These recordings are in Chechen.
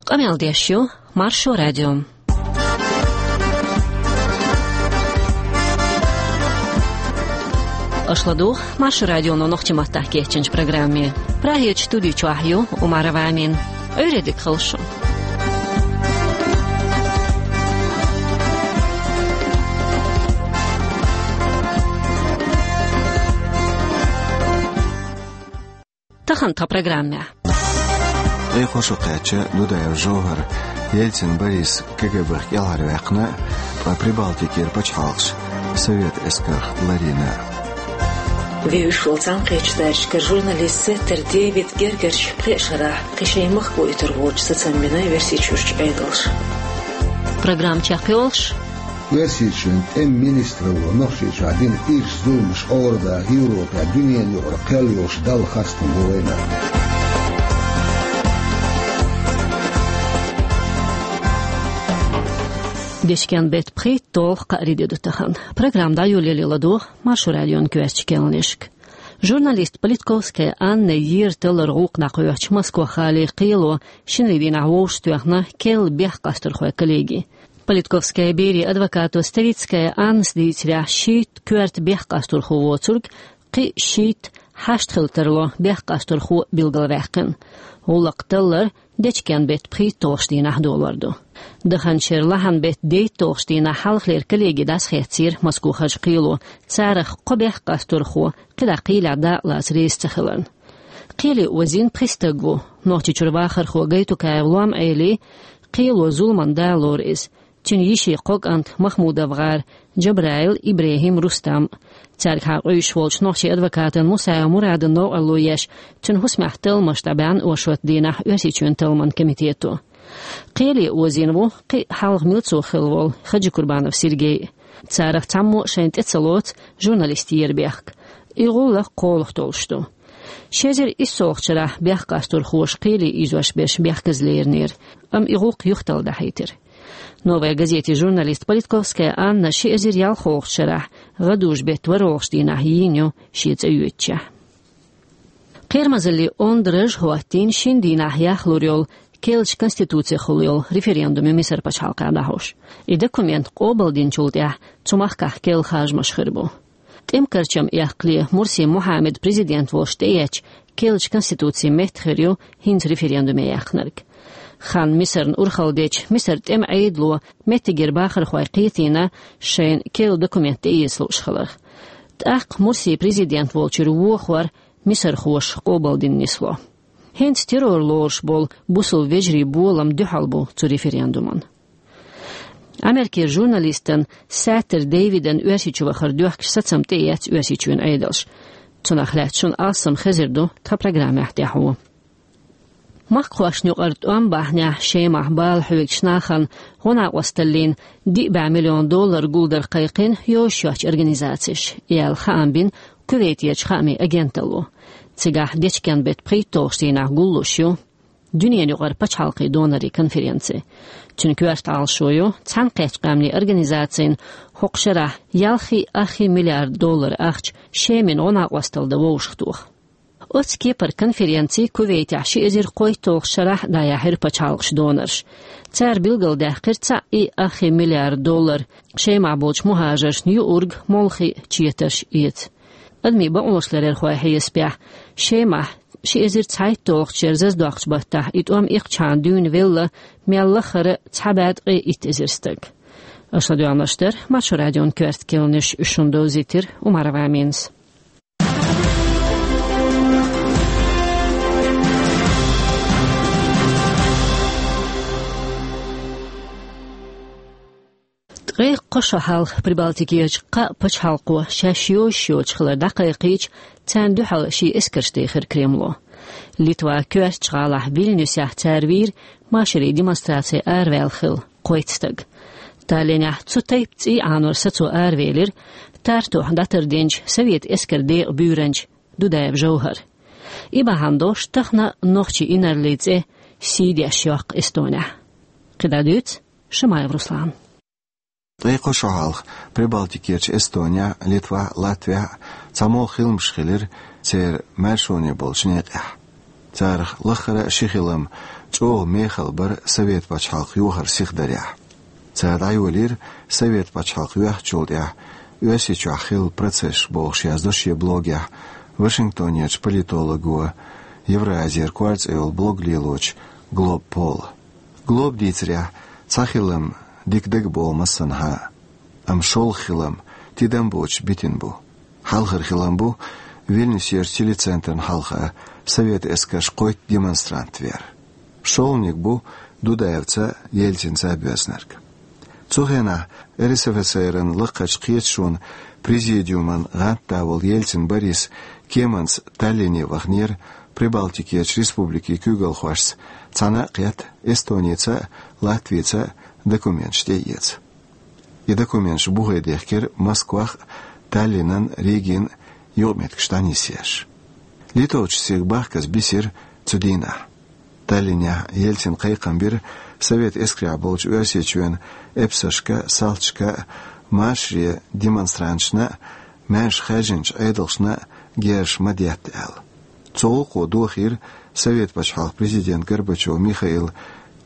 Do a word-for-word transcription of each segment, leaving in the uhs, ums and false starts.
Къамел деш ю Маршо радио. Аша ладугӀу Маршо радионо нохчийн маттахь кечйинчу программе. Прагерчу студи чохь ю Умарова Амина. Ӏуьйре дика хуьлда шун. Тахана тхан программехь. Ткъе кхо шо кхаьчча, Дудаев ЖовхӀар Ельцин Борис КГБ-х кӀелхьарваьккхина, ткъа Прибалтикера пачхьалкхаш Совет эскарх ларйина. Вевзаш волу цхьаьнакхеттачу тачкара журналист Сеттер Дэвид гергарчу пхеа шарахь кхин шайн махкахь итар волчу сацам бина Оьрсийчуьрчу Ӏедалша. Программа чекхйолуш. Оьрсийчоьнан тӀеман министралло Нохчийчохь дина ирча зуламаш Ӏорадахь Европехь дуьненан юкъара кхел йолуш Далла хастам бу вайна. Дечкен-беттан пхийтталгӀа кхаарин де ду тахана. Программа дӀайолале ладогӀа Маршо радион коьртачу кхаьънашка. Журналист Политковская Анна ера таллар гӀуллакх дӀакхоьхьучу Москва-Хале кхело шинарин дийнахь вовшахтоьхна керла бехккъастархойн коллеги. Политковская берийн адвокато Ставицкая Аннас дийцарехь, шийтта коьрта бехккъастархо воцург кхин шийтта хьашт хила тарло бехккъастархо билгалваьккхина. ГӀуллакх таллар дечкен-беттан пхийтталгӀачу дийнахь долор ду. Даханчу шеран лахьанан беттан дейтталгӀачу дийнахь хьалхалера коллеги дӀасахецира Москва-Хьажа кхело, царах кхо бехккъастархо кхидӀа кхелехь дакъалаца реза ца хиларна. Кхеле озийна пхи стаг ву. Нохчийчуьра вахархо Гайтукаев Лом-Ӏели кхело зуламан да лору иза. Цуьнан йишин кхо кӀант Махмудов-гӀар, Джабраил, ИбрахӀим, Рустам. Цаьргахьа къуьйсуш волчу нохчийн адвокатан Мусаев Мурадан новкъарло еш, цуьнан хӀусамехь талламаш дӀабаьхьна оршот дийнахь Оьрсийчоьнан талламан комитето. Кхеле озийна ву кхин а хьалха милцо хилла волу Хаджикурбанов Сергей. Царах цхьаммо а шайна тӀе ца лоцу журналист еран бехк. И гӀуллакх кхолах толлуш ду. Ши эзар иссалгӀачу шарахь бехккъастархоша кхеле ийзош берш бехказа леринера, амма и гӀуллакх юхаталла дахьийтира. «Новая газетин» журналист Политковская Анна ши эзар ялхолгӀачу шарахь гӀадужу-беттан ворхӀалгӀачу дийнахь йийна ю шен цӀа йоьдучехь. Кхерамазаллин онда раж хӀоттийна шина дийнахь яхлур йолу керлачу конституцихула йолу референдуме Мисар пачхьалкхехь дӀахьош. И документ къобалдинчул тӀаьхьа цу махкахь керла харжамаш хир бу. ТӀеман карчам эккхале Мурси Мухьаммад президент волуш тӀеэцча, керлачу конституцин метта хир ю хӀинца референдуме яьккхинарг. Хан Мисарна урхалла дечу Мисар тӀеман Ӏедало меттигера бахархой кхетийна шайна керла документ тӀеэца лууш хиларх. ТӀаккха Мурси президент волчуьра вохор мисархоша къобалдина нисло. ХӀинца террор лоруш болу бусалба вежарийн болам дуьхьал бу цу референдуман. Америкера журналистан Сеттер Дэвидан Оьрсийчу вахар доьхкуш сацам тӀеэцна Оьрсийчоьнан Ӏедалша. Цунах лаьцна шуна алсам хезар ду тхан программехь тӀаьхьо. Махкахошна юкъара тӀом бахьанехь Шемахь бала хьоьгучу нахана гӀо-накъосталлин диъ бӀе миллион доллар гулдар кхайкхина йозуш йоцчу организацеша, яьлла хаам бина Кувейтерчу хаамийн агенталло. Цигахь дечкен-беттан пхийтталгӀачу дийнахь гуллуш ю дуьненан юкъара пачхьалкхийн донорийн конференци. Цуьнан коьрта Ӏалашо ю цхьаьнакхеттачу къаьмнийн организацина хӀокху шарахь ялхий, ах миллиард доллар ахча Шемина гӀо-накъосталла дан вовшахтоха. Оццу кепара конференци Кувейтехь ши эзар кхойтталгӀачу шарахь дӀаяьхьира пачхьалкхаша донорш. Цара билгалдаьккхира цхьаъ и ах миллиард доллар Шемахь болчу мухӀажаршна юург молхий четарш эца. Адамийн бакъонаш ларъярхойн хьесапехь, Шемахь ши эзар цхьайтталгӀачу шеран заздоккхучу баттахь и тӀом икхчахьана дуьйна велла мел лахара цхьа бӀе ткъе итт эзар стаг. Аша ладоьгӀнарш дара Маршо радион коьрта кхаьънаш, уьш шуна довзийтира Умарова Аминас. Ткъе кхо шо хьалха Прибалтикерчу кхаа пачхьалкхо шаьш йозуш йоцуш хилар дӀакхайкхийча, царна дуьхьал шен эскарш дехира Кремло. Литван коьртачу гӀалахь Вильнюсехь цара вийра машарийн демонстраци араваьлла хилла кхойтта стаг. Таллинехь цу тайпа цӀий Ӏанор сацо аравелира Тартухь дӀатардинчу совет эскаран декъан буьйранча Дудаев ЖовхӀар. И бахьана долуш тахана нохчийн инарлин цӀе сий деш йоккху Эстонехь. КхидӀа дуьйцу Шамаев Руслана. Ткъе кхо шо хьалха Прибалтикерчу Эстонехь, Литвахь, Латвехь цхьа молла хиламаш хилира церан маьршоне болчу некъехь. Царах лаххара а ши хилам чӀогӀа мехала бара Совет пачхьалкх йохар сиха дарехь. Цара дӀайолийра Совет пачхьалкх йоьхначул тӀаьхьа Оьрсийчохь хилла процессаш бохуш яздо шен блогехь Вашингтонерчу политолого, Евразера кор цӀе йолу блог лелочу Глоб Пола. Глоба дийцарехь, цхьа хилам дика дага боху массанхьа а, амма шолгӀа хилам тидам боцуш битина бу. Хьалхара хилам бу Вильнюсерчу телецентрна хьалха совет эскарш кхойтта демонстрант вер. ШолгӀаниг бу Дудаевца а, Ельцинца а боьзнарг. Цу хенахь РСФСР-ан лакхарчу кхеташонан президиуман гӀантда волу Ельцин Борис кеманца Таллине ваханера, Прибалтикерчу республикийн куьйгалхошца цхьаьна а кхетта, Эстоница а, Латвица а документаш тӀеэца. И документаш бухе дехкира Москвах а, Таллинан а, Ригин а юкъаметтигаш дӀанисъеш. Литовцаш цига бахказа бисира цу дийнахь. Таллинехь Ельцина кхайкхам бира совет эскарехь болчу Оьрсийчоьнан эпсаршка а, салташка а, машаре демонстранташна а, маьрша хаьржинчу Ӏедалшна а герзаш ма детта аьлла. Цу гӀуллакхо дохийра совет пачхьалкхан президент Горбачев Михаила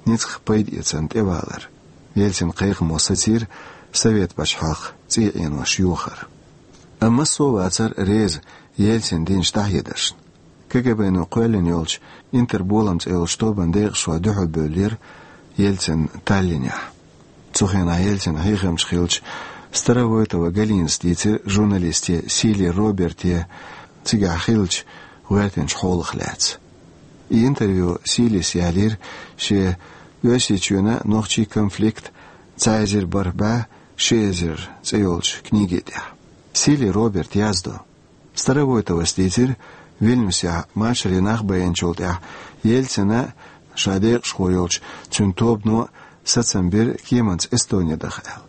ницкъах пайдаэцарна тӀевалар. Ельцина кхайкхамо сацийра совет пачхьалкх цӀий Ӏенош йохар. Амма массо а вацара реза Ельцина динчу дӀахьедаршна. КГБ-но кхоьллина йолчу «Интерболам» цӀе йолчу тобанан декъашхой дуьхьалбевллера Ельцин Таллинехь. Цу хенахь Ельцин хьехамча хиллачу Старовойтова Галинас дийцира журналисте Сили Роберте цигахь хиллачу гӀоьртинчу хьолах лаьцна. И интервью Силис ялийра шен «Оьрсийчоьнан а, нохчийн а конфликт цхьа эзар бархӀ бӀе ши эзар» цӀе йолчу книги тӀехь. Сили Роберта яздо: Старовойтовас дийцира, Вильнюсехь машаре нах байиначул тӀаьхьа Ельцина а, ша декъашхо йолчу цуьнан тобано а сацам бира кеманца Эстоне даха аьлла.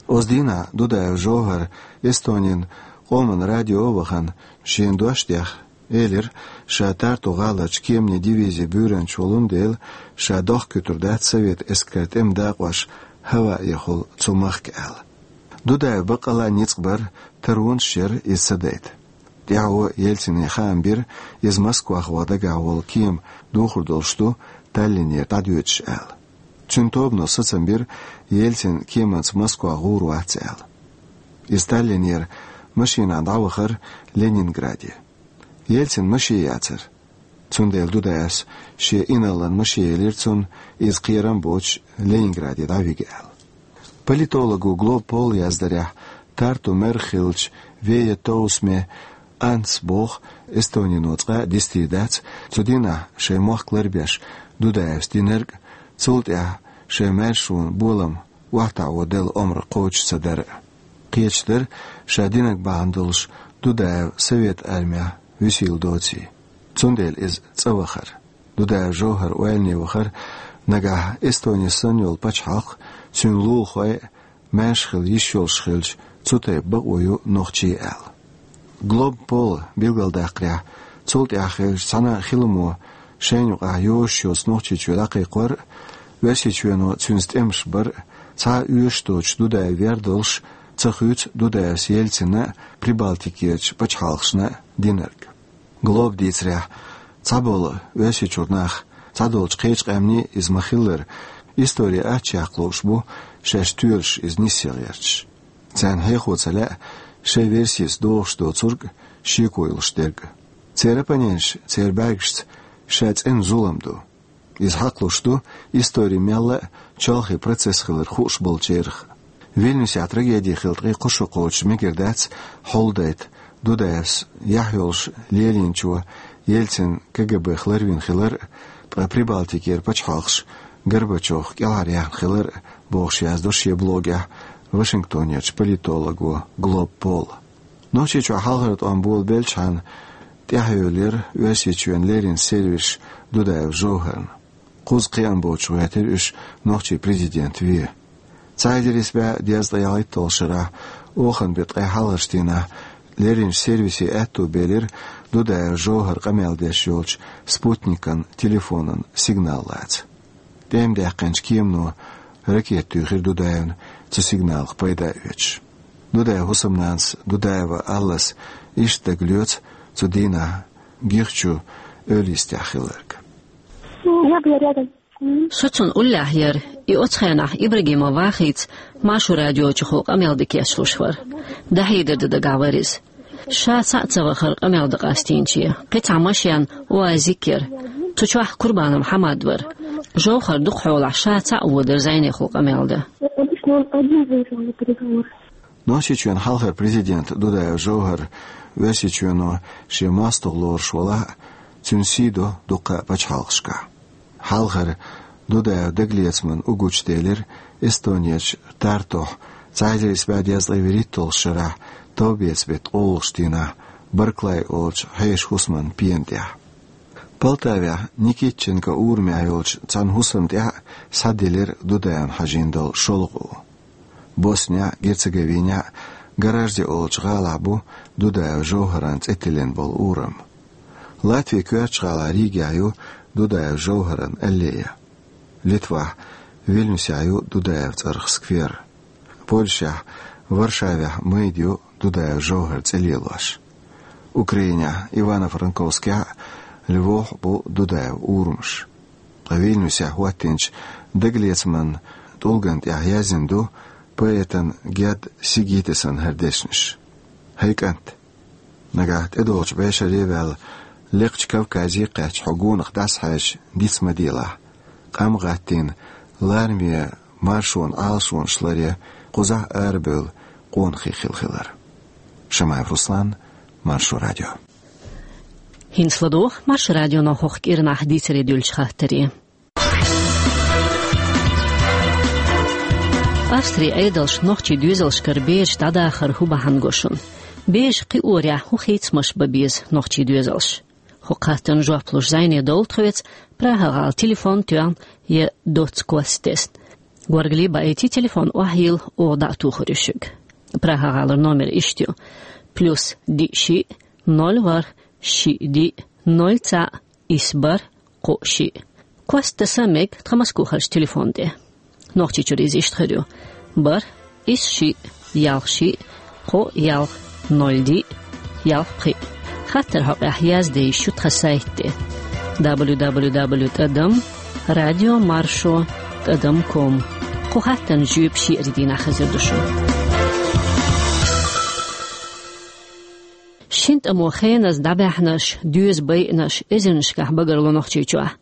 Оцу дийнахь Дудаев ЖовхӀара Эстонин къоман радио а вахана, шена дош а дехна, элира, ша Тарту гӀаларчу кеманийн дивизин буьйранча волун дела, ша дохкуьйтур дац совет эскаран тӀеман дакъош хӀаваъ яхула цу махка аьлла. Дудаевн баккъалла а ницкъ бара, таронаш яра иза ца дайта. ТӀаьхьо Ельцине хаам бира, иза Москвах ваха дагахь волу кема духур долуш ду Таллинера дӀадоьдуш аьлла. Цуьнан тобано сацам бира, Ельцин кеманца Москвах гӀур вац аьлла. Иза Таллинера машенахь дӀавахара Ленинграде. Ельцина машен яцара. Цундела Дудаевс шен инарлан машен елира цунна, иза кхерам боцуш Ленинграде дӀавига аьлла. Политолого Глоб Пола яздарехь, Тарту мэр хиллачу Вея Тоусме Анс боху, Эстонино цкъа а дистийр дац цу дийнахь шайн мохк ларбеш Дудаевс динарг а, цул тӀаьхьа шайн маьршонан болам охьатаӀо делла омра кхочуш ца дар а. Кхеташ дара, ша динарг бахьана долуш Дудаев Совет Армехь вуьсийла доций. Цундела иза цӀа вахара. Дудаев ЖовхӀар ойлане вахара, нагахь Эстони санна йолу пачхьалкх, цуьнан лулахой а маьрша хила йиш йолуш хилча, цу тайпа бакъо ю нохчийн аьлла. Глоб Пола билгалдаккхарехь, цул тӀаьхьа хиллачу цхьана а хиламо шайна юкъахь йозуш йоцу Нохчийчоь дӀакхайкхор а, Оьрсийчоьно цуьнца тӀемаш бар а, цхьа а оьшуш доцуш Дудаев вер долуш, ца хуьйцу Дудаевс Ельцина а, Прибалтикерчу пачхьалкхашна а динарг. Глоба дийцарехь, цхьаболу Оьрсийчуьра нах, цхьадолчу кхечу къаьмнийн иза ма-хиллара, истори аччехьа лууш бу, шаьш тоьлуш иза нисъян гӀерташ. Царна хьехо ца лаьа шайн версица догӀуш доцург а, шеко йолуш дерг а. Церан оппоненташ церан бӀаьргашца ша цӀена зулам ду. Иза хьакхалуш ду истори мелла а чолхе процесс хилар хууш болчарах. Вильнюсехь трагеди хилла ткъе кхо шо кхочуш мегар дац хьулдайта Дудаевс яхь йолуш лелийначо Ельцин КГБ-х ларвина хилар а, ткъа Прибалтикера пачхьалкхаш Горбачевх кӀелхьаръяьхна хилар а, бохуш яздо шен блогехь Вашингтонерчу политолого Глоб Пола. Нохчийчохь хьалхара тӀом болабеллачхьана тӀаьхьайолаелира Оьрсийчоьнан леррина сервисаш Дудаев ЖовхӀарна. Кхузткъе кхиам боцуш гӀоьртира уьш нохчийн президент вен. Цхьа эзар исс бӀе дезткъе ялхитталгӀачу шарахь, оханан беттан ткъе хьалхарчу дийнахь лерринчу сервисе аьтто белира Дудаев ЖовхӀар къамел деш йолчу спутникан телефонан сигнал лаца. ТӀема даьккхинчу кемано ракета туьйхира Дудаевна, цу сигналах пайда а оьцуш. Дудаевн хӀусамнанас Дудаева Аллас иштта дагалоьцу цу дийнахь Гихчу Оьлийстехь хилларг. Я была рядом с ним. Со цунна уллехь яра, и оцу хенахь Ибрагимов Вахица Маршо радиочухула къамел дан кечлуш вара. ДӀахьедар дан дагахь вара иза. Ша цхьаъ ца вахара къамел дан къастийначийн. Кхин цхьа машен, УАЗик яра. Цу чохь Курбанов Хьамад вара. Жовхар дукхахьолахь ша цхьаъ водара зӀенехула къамел дан. Обычно он один выезжал на переговоры. Нохчийчоьнан хьалхара президент Дудаев Жовхар Оьрсийчоьно шен мостагӀ лоруш валахь а, цуьнан сий до дуккха а пачхьалкхашкахь. Хьалхара Дудаев дагалецаман угучу делира Эстонерчу Тартухь цхьа эзар исс бӀе дезткъе вуьрхӀитталгӀачу шарахь товбеца беттан ткъолгӀачу дийнахь Барклай олучу хьешан хӀусаман пена тӀехь. Полтавехь Никитченко урамехь йолчу цхьана хӀусамна тӀехь а схьаделира Дудаевна хьажийна долу шолгӀа у. Боснехь а, Герцеговинехь а Гаражде олучу гӀалахь бу Дудаев Жовхаран цӀе тиллина болу урам. Латвин коьртачу гӀалахь Ригехь ю Дудаев Жовхаран аллея. Литвахь Вильнюсехь ю Дудаев цӀарах сквер. Польшехь Варшавехь майда ю Дудаев Жовхар цӀе лелош. Украинехь Ивано-Франковскехь а, Львовехь а бу Дудаев урамаш. Ткъа Вильнюсехь хӀоттийначу дагалецаман тӀулгана тӀехь яздина ду поэтан Герд Сигитесан хӀара дешнаш. ХӀай кӀант! Нагахь тӀедогӀучу бӀешаре а ваьлла, лекхачу Кавказе а кхаьчна хьо гонах дӀасахьаьжча диц ма делахь, къам а гӀаттийна, лараме маршонан Ӏалашонаш ларъян кхузахь арабевлла къонахий хилла хилар. Шамаев Руслан, Маршо радио. ХӀинца ладогӀа Маршо радионо хӀокху кӀирнахь дийцаре дуьллучу хаттаре. Австрин Ӏедалша нохчийн доьзалшкара бераш дӀадахар хӀун бахьана го шуна? Бераш кхиорехь хӀун хийцамаш бан беза нохчийн доьзалша? ХӀокху хаттарна жоп луш зӀене довла тхоьца Прага-гӀала телефон тоьхна я доцца кост тесна. Горгали баийти, телефон охьайилла, оха дӀа а тухур ю шуьга. Прага-гӀалара номер иштта ю: плюс диъ шиъ, ноль ворхӀ, шиъ диъ, ноль цхьаъ, исс бархӀ, кхоъ шиъ. Кост таса мега тхан Москохарчу телефон тӀе. Нохчийчуьра иза иштта хир ю: бархӀ, исс шиъ, ялх шиъ, кхоъ ялх, ноль диъ, ялх пхиъ. Хаттар хьокъехь язде йиш ю тхан сайт тӀе: дабл ю дабл ю дабл ю тӀадам радио маршо тӀадам ком. Кху хаттарна жоьпаш шиъ-р дийнахь хезар ду шуна. Шина тӀамо хеназа дӀабаьхьнарш, доьза байинарш эзарнашкахь багарло Нохчийчохь.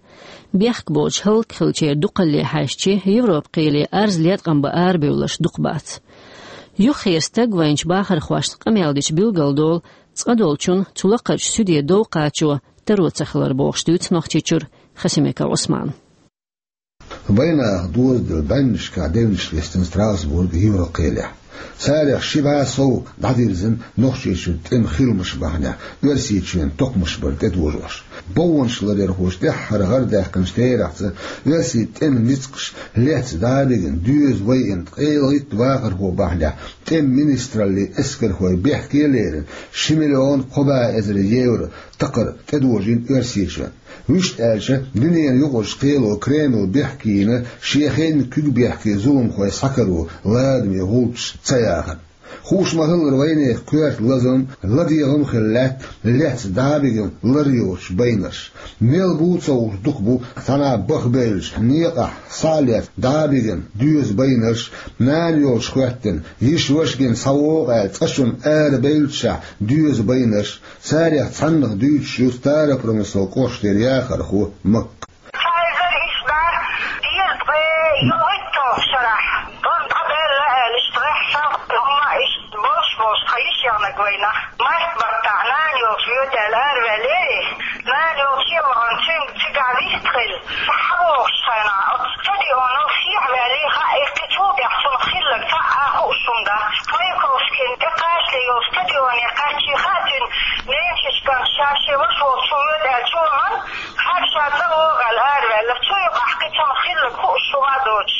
Бехк боцуш хӀаллакьхилчеран дукхалле хьаьжча, Европан кхеле арз леткъам бан арабевлларш дукха бац. Юххера стаг вайначу бахархошца къамел дича билгалдолу, цкъа долчунна цу лакхарчу суьде дов кхачо таро ца хилар бохуш дуьйцу Нохчийчуьра Хасимиков Ӏусмана. Вайнах дозаделла бӀеннашкахь девнаш листина Страсбург Европан кхелехь. Царах ши бӀе сов дӀадирзина Нохчийчуьра тӀеман хиламаш бахьанехь Оьрсийчоьнан токхамаш бар тӀедожош. Бовнаш ларъярхоша тӀаьххьара гӀардаьккхинчу терахьца оьрсийн тӀеман ницкъаш лецна дӀа а бигина, доьза байина ткъе итт вахархо бахьанехь тӀеман министраллин эскархой бехке а лерина, ши миллион кхо бӀе эзар евро такхар тӀедожийна Оьрсийчоьнна. Вуьшта аьлча, дуьненан юкъарчу кхело Кремль бехке йина шен хеннан куьг бехке зуламхой схьакаро ладаме гӀулчаш ца яхарна. Хууш ма-хиллара, вайнехан коьрта лазам, ладегӀам а хилла лаьтта лецна дӀа а бигина лар йоцуш байнарш. Мел бу ца хууш дукха бу цхьана баха бевллачу некъахь схьа а лецна дӀа а бигина доьза байнарш, нана йолуш хӀоьттина, йиша-ваша гина схьавогӀу аьлла цӀа чунна арабевллачохь доьза байнарш. Царех цхьаннах дуьйцуш ю Старопромыслан кӀоштара яхархо Макка. Цхьа эзар исс бӀе дезткъе ялхитталгӀачу шарахь, тӀом дӀабаьлла аьлла, иштта гӀеххьа хӀумма а иштта болуш-болуш тхан йиш ягӀнарг вайнах. Март баттахь нана йолчу воьду аьлла араваьллера, нана йолчу а вахана цуьнга цигахь вистхилла. СхьабогӀучу хенахь оцу стадионал сехьаваьлла, хаьа, кхин цул тӀаьхьа цунах хилларг цхьа а хууш хӀума дац. Маяковскийна тӀекхачале йолу стадионе кхаьчча хаьа цуьнан, Ненчичкан ша шен ваша волчу воьду аьлла чу а вахана, хьаьга ша цӀа вогӀу аьлла араваьлла. Цу юкъахь кхин цунах хилларг хууш хӀума а доцуш,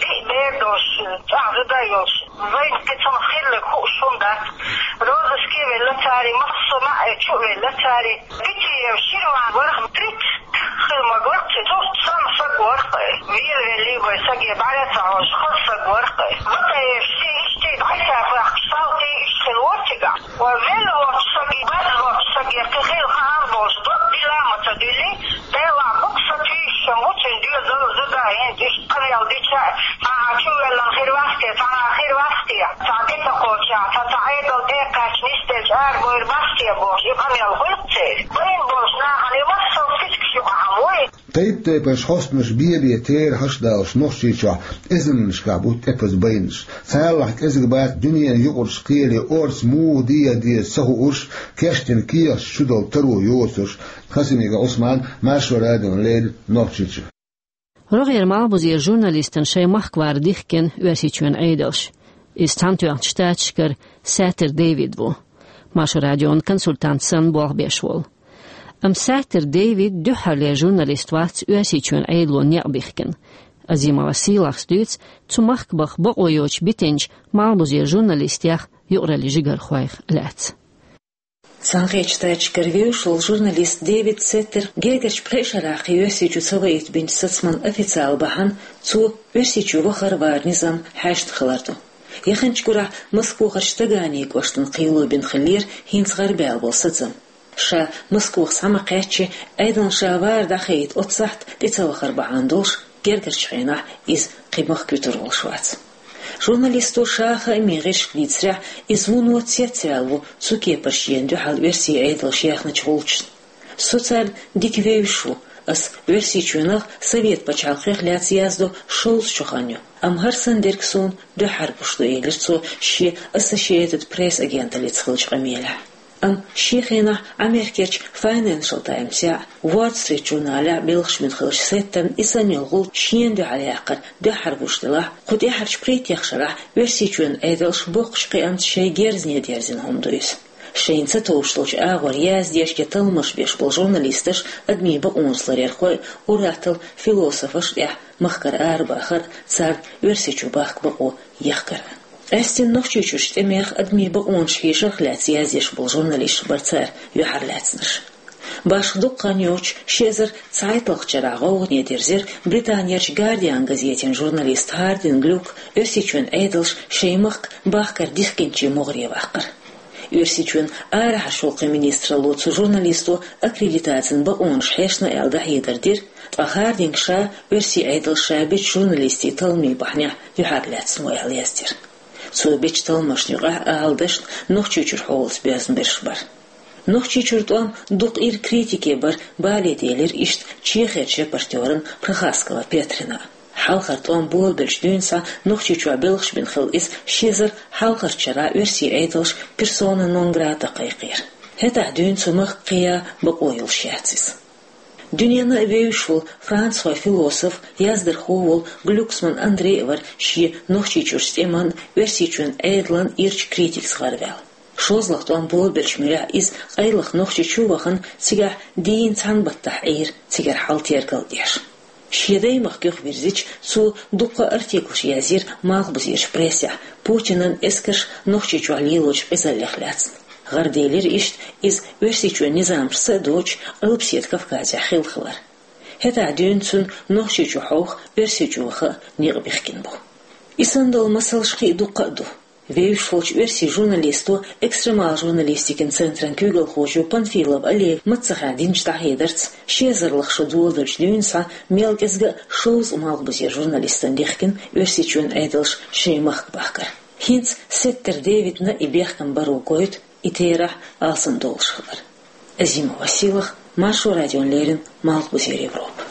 диъ бер долуш, цӀахь зуда а йолуш, вайна кхин цунах хилларг хууш хӀума дац. Розыске а велла цара, массо а маьӀӀе чу а велла цара. Питиев Ширван вара, тридцать хила магар, цу цхьана саг вара, велавеллий вай саге, бӀаьра ца хьожуш, хаза саг вара. Батаевс иштта дӀасабаьхкаш, салтий иштта хила вара цигахь. Ва велла волчу саге, база волчу саге кхин хила хаам болуш, дог дила а ма ца Иза зуда хӀинца иштта къамел дича, цхьа чувеллан хир вац те, цхьа хир вац те, цхьа тӀе ца кхоча, цхьа, цхьа Ӏедал тӀекхаьчча нисделча арабойр бац те бохуш, и къамел хуьлу церан. Байна болчу нахана и массо а физикаш юкъахь вуй. Тайп-тайпанаш хьостанаш бен-бен терахьаш а далош Нохчийчохь эзарнашкахь бу тӀепаза байнаш. Царалахь кӀезиг бац дуьненан юкъарчу кхеле орца муха деха деза ца хуурш, кечдина кехаташ чудала таро йоцурш. Хасимиков Ӏусман, Маршо радиона леррина, Нохчийчу. РогӀера малхбузера журналистана шайн махка вар дихкина Оьрсийчоьнан Ӏедалш. Иза Цхьаьнатоьхначу Штаташкара Саттер Дэвид ву. Маршо радион консультант санна болх беш волу. Амма Саттер Дэвид дуьххьарлера журналист вац Оьрсийчоьнан Ӏедало некъ бихкина. Азимова Сийлахьс дуьйцу цу махка баха бакъо йоцуш битинчу малхбузера журналистех, юкъараллин жигархойх лаьцна. Цхьаьнакхеттачу Штаташкара вевзаш волу журналист Дэвид Сеттер гергарчу пхеа шарахь кхин Оьрсийчу ца ваийта бинчу сацаман официал бахьана цо Оьрсийчу вахар вар низам хьаьшна хилар ду. Яханчу гурахь Москвахарчу Таганин кӀоштан кхело бина хиллера хӀинца гӀарабаьлла болу сацам. Ша Москвахь схьа ма кхаьччи, Ӏедална ша вар дӀахаийта оццахь тӀе ца вахар бахьана долуш, гергарчу хенахь иза кхин махка вуьтур волуш вац. Журналисто ша хаамийн гӀирсашка дийцарехь, иза вуно цецваьлла ву цу кепара шена дуьхьал оьрсийн Ӏедалша яьхначу гӀулчашна. Со царна дика вевзаш ву, ас Оьрсийчоьнах, Совет пачхьалкхех лаьцна яздо шовзткъа шо хан ю, амма хӀара санна дерг суна дуьххьара гуш ду, элира цо шен Associated Press агенталлица хиллачу къамелехь. Амма шен хенахь Америкерчу Financial Times-ехь, Wall Street журналехь белхаш бина хиллачу Сеттерна и санна йолу гӀулч шена дуьхьал яккхар дуьххьара гуш делахь, кху тӀаьхьарчу пхийтта шарахь Оьрсийчоьнан Ӏедалша боккхачу кхиамца шайн герзане дерзина хӀума ду иза. Шайна ца товш долчу агӀор яздеш я талламаш беш болу журналисташ, адамийн бакъонаш ларъярхой, ур-атталла философаш тӀехь махкара арабахар, царна Оьрсийчу бахка бакъо яхкар. Къаьсттина Нохчийчуьрчу тӀемех, адамийн бакъонаш хьешарх лаьцна яздеш болу журналисташ бара цара юьхьарлаьцнарш. Башха дукха хан йоцуш, ши эзар цхьайтталгӀачу шарахь гӀовгӀане дерзира Британерчу Guardian газетан журналист Хардинг Люк Оьрсийчоьнан Ӏедалша шайн махка бахкар дихкинчийн могӀаре ваккхар. Оьрсийчоьнан арахьарчу гӀуллакхийн министралло цу журналисто аккредитацин бакъонаш хьешна аьлла дӀахьедар дира, ткъа Хардинга ша оьрсийн Ӏедалша ша бечу журналистийн талламийн бахьанехь юьхьарлаьцна ву аьлла яздира. Цо бечу талламашна юкъахь, ала дашна, Нохчийчуьра хьолаца боьзна берш бара. Нохчийчуьра тӀом дукха ира, критике бара, бале делира иштта Чехерчу репортерна Прохаскова Петрина. Хьалхара тӀом болабелчу дуьйна схьа Нохчийчохь белхаш бина хилла иза ши эзар хьалхарчу шарахь оьрсийн Ӏедалша персона нон грата кхайкхийра. ХӀетахь дуьйна цу махка кхиа бакъо йолуш яц иза. Дуьненна а вевзаш волу францхой философ, яздархо волу Глюксман Андрей а вара шен Нохчийчуьрчу тӀеман, Оьрсийчоьнан Ӏедалан ирчу критикаца гӀараваьлла. ШолгӀа тӀом болабеллачу муьрехь иза къайлаха Нохчийчу вахана, цигахь дийна цхьана баттахь Ӏийра, цигара хьал тергал деш. Шен даймахка юхавирзича, цо дуккха а артиклаш язйира малхбузерчу прессехь, Путинан эскарш Нохчийчохь лелочу къизаллех лаьцна. ГӀараделира иштта иза Оьрсийчоьнан низамаш са а доцуш, Къилбаседа Кавказехь хилла хилар. ХӀетахь дуьйна цунна Нохчийчу хьовха, Оьрсийчу ваха а некъ бихкина бу. И санна долу масалш кхин а дуккха а ду. Вевзаш волчу оьрсийн журналисто, экстремал журналистикин центран куьйгалхочо Панфилов Олега маццахь динчу дӀахьедарца, ши эзарлгӀа шо доладелчу дуьйна схьа мел кӀезга а шовзткъа малхбузера журналистана дихкина Оьрсийчоьнан Ӏедалша шайн махка бахкар. ХӀинца Сеттер Дэвидна и бехкам баро гойту и терахь алсамдолуш хилар. Азимова Сийлахь, Маршо радиона леррина, Малхбузера Европа.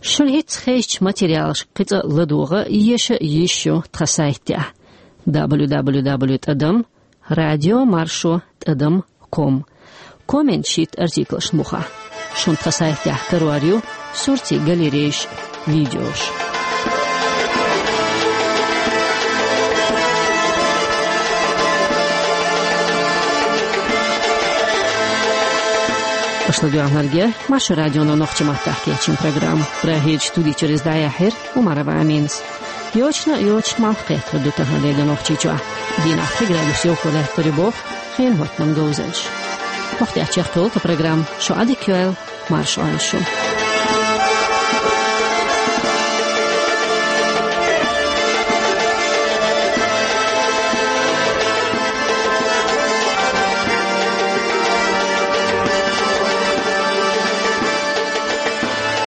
Шуна хӀинцца хезачу материалашка кхин цкъа а ладогӀа, еша а йиш ю тхан сайтехь: дабл ю дабл ю дабл ю тӀадам радио маршо тӀадам ком. Комменташ йитта артиклашна бухахь. Шуна тхан сайтехь карор ю суртий, галерейш, видеош. Аша ладоьгӀнарг яра Маршо радионо нохчийн маттахь кечйина программа. Прагерчу студи чуьра иза дӀаяьхьира Умарова Аминас. Йочана а йоцуш, малх кхеттар ду тахана Делан Нохчийчохь. Дийнахь пхи градус йовхо лаьттар ю боху, хенан хӀоттаман говзанчаш. Хьох тӀехь чекхдолу тхан программа. Шу Ӏадика йойла, марша Ӏойла шу.